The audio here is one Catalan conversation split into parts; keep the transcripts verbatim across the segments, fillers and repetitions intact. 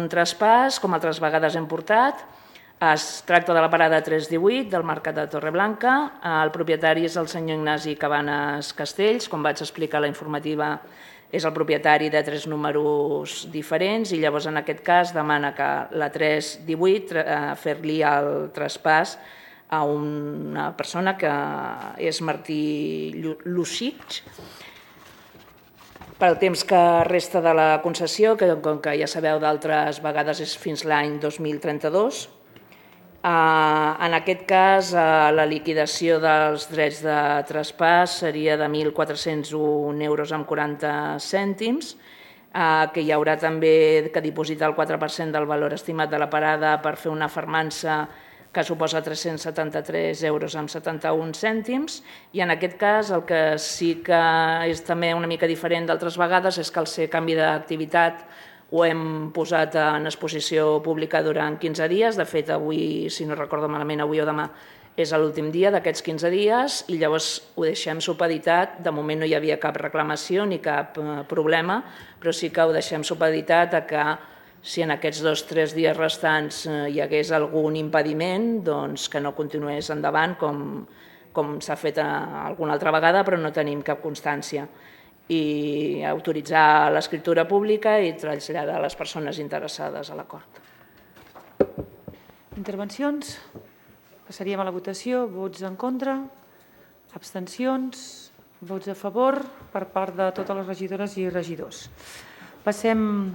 un traspàs, com altres vegades hem portat. Es tracta de la parada tres divuit del Mercat de Torreblanca. El propietari és el senyor Ignasi Cabanes Castells. Com vaig explicar a la informativa, és el propietari de tres números diferents i llavors en aquest cas demana que la tres divuit fer-li el traspàs a una persona que és Martí Luxich, pel temps que resta de la concessió, que com que ja sabeu d'altres vegades és fins l'any dos mil trenta-dos. En aquest cas, la liquidació dels drets de traspàs seria de mil quatre-cents un euros amb quaranta cèntims, que hi haurà també que dipositar el quatre per cent del valor estimat de la parada per fer una fermança que suposa tres-cents setanta-tres euros amb setanta-un cèntims, i en aquest cas el que sí que és també una mica diferent d'altres vegades és que al ser canvi d'activitat ho hem posat en exposició pública durant quinze dies. De fet, avui, si no recordo malament, avui o demà és l'últim dia d'aquests quinze dies i llavors ho deixem supeditat. De moment no hi havia cap reclamació ni cap problema, però sí que ho deixem supeditat a que si en aquests dos o tres dies restants hi hagués algun impediment, doncs que no continués endavant com s'ha fet alguna altra vegada, però no tenim cap constància. I autoritzar l'escriptura pública i traslladar a les persones interessades a l'acord. Intervencions? Passaríem a la votació. Vots en contra? Abstencions? Vots a favor per part de totes les regidores i regidors. Passem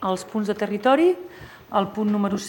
als punts de territori. El punt número set.